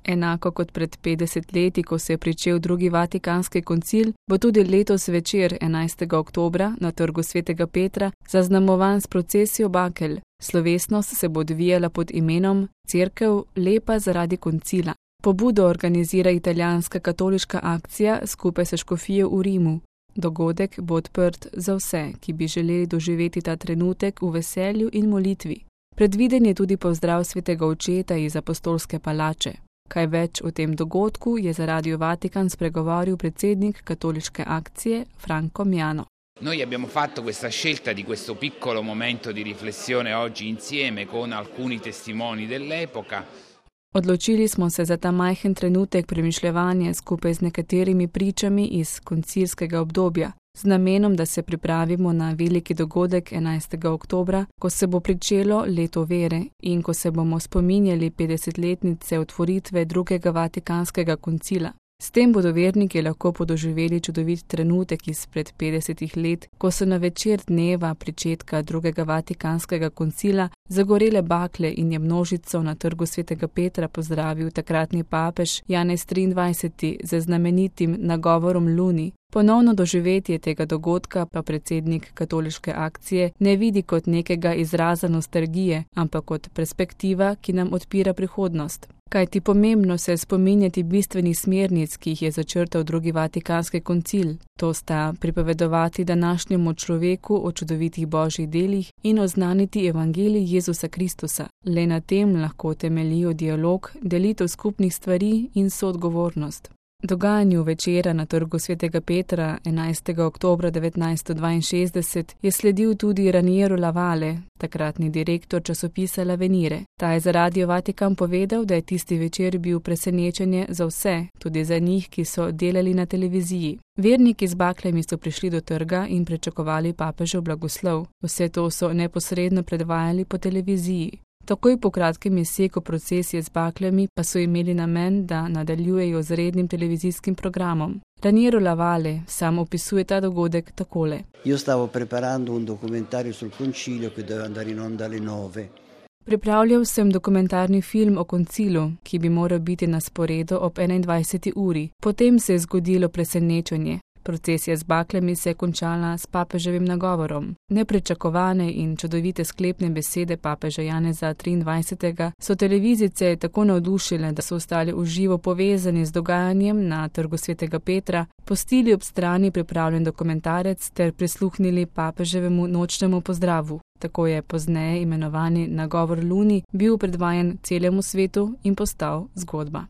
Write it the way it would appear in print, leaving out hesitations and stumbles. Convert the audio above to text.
Enako kot pred 50 leti, ko se je pričel drugi Vatikanski koncil, bo tudi letos večer 11. oktobra na Trgu svetega Petra zaznamovan s procesijo bakel. Slovesnost se bo odvijala pod imenom Cerkev lepa zaradi koncila. Pobudo organizira italijanska katoliška akcija skupaj s škofijo v Rimu. Dogodek bo odprt za vse, ki bi želeli doživeti ta trenutek v veselju in molitvi. Predviden je tudi pozdrav svetega očeta iz apostolske palače. Kaj več o tem dogodku je za Radio Vatikan spregovoril predsednik katoliške akcije Franco Miano. Noi abbiamo fatto questa scelta di questo piccolo momento di riflessione oggi insieme con alcuni testimoni dell'epoca. Odločili smo se za ta majhen trenutek premišljevanja skupaj z nekaterimi pričami iz koncilskega obdobja, z namenom, da se pripravimo na veliki dogodek 11. oktobra, ko se bo pričelo leto vere in ko se bomo spominjali 50-letnice otvoritve drugega Vatikanskega koncila. S tem bodo verniki lahko podoživeli čudovit trenutek izpred 50 let, ko so na večer dneva pričetka drugega Vatikanskega koncila zagorele bakle in je množico na Trgu svetega Petra pozdravil takratni papež Janez 23. z znamenitim nagovorom Luni. Ponovno doživetje tega dogodka pa predsednik katoliške akcije ne vidi kot nekega izraza nostalgije, ampak kot perspektiva, ki nam odpira prihodnost. Kajti pomembno se spominjati bistvenih smernic, ki jih je začrtal drugi Vatikanski koncil. To sta pripovedovati današnjemu človeku o čudovitih božjih delih in oznaniti evangelij Jezusa Kristusa. Le na tem lahko temeljijo dialog, delitev skupnih stvari in soodgovornost. Dogajanju večera na Trgu svetega Petra 11. oktobra 1962 je sledil tudi Raniero Lavale, takratni direktor časopisa L'Avvenire. Ta je za Radio Vatikan povedal, da je tisti večer bil presenečenje za vse, tudi za njih, ki so delali na televiziji. Verniki z baklami so prišli do trga in pričakovali papežev blagoslov. Vse to so neposredno predvajali po televiziji. Takoj po kratkem izseku procesije z baklami pa so imeli namen, da nadaljujejo z rednim televizijskim programom. Raniero Lavale sam opisuje ta dogodek takole. Io stavo preparando un documentario sul concilio che doveva andare in onda alle 9. Pripravljal sem dokumentarni film o koncilu, ki bi moral biti na sporedu ob 21. uri. Potem se je zgodilo presenečenje. Procesija z baklami se je končala s papeževim nagovorom. Nepričakovane in čudovite sklepne besede papeža Janeza 23. so televizice tako navdušile, da so ostali v živo povezani z dogajanjem na Trgu svetega Petra, pustili ob strani pripravljen dokumentarec ter prisluhnili papeževemu nočnemu pozdravu. Tako je pozneje imenovani nagovor Luni bil predvajan celemu svetu in postal zgodba.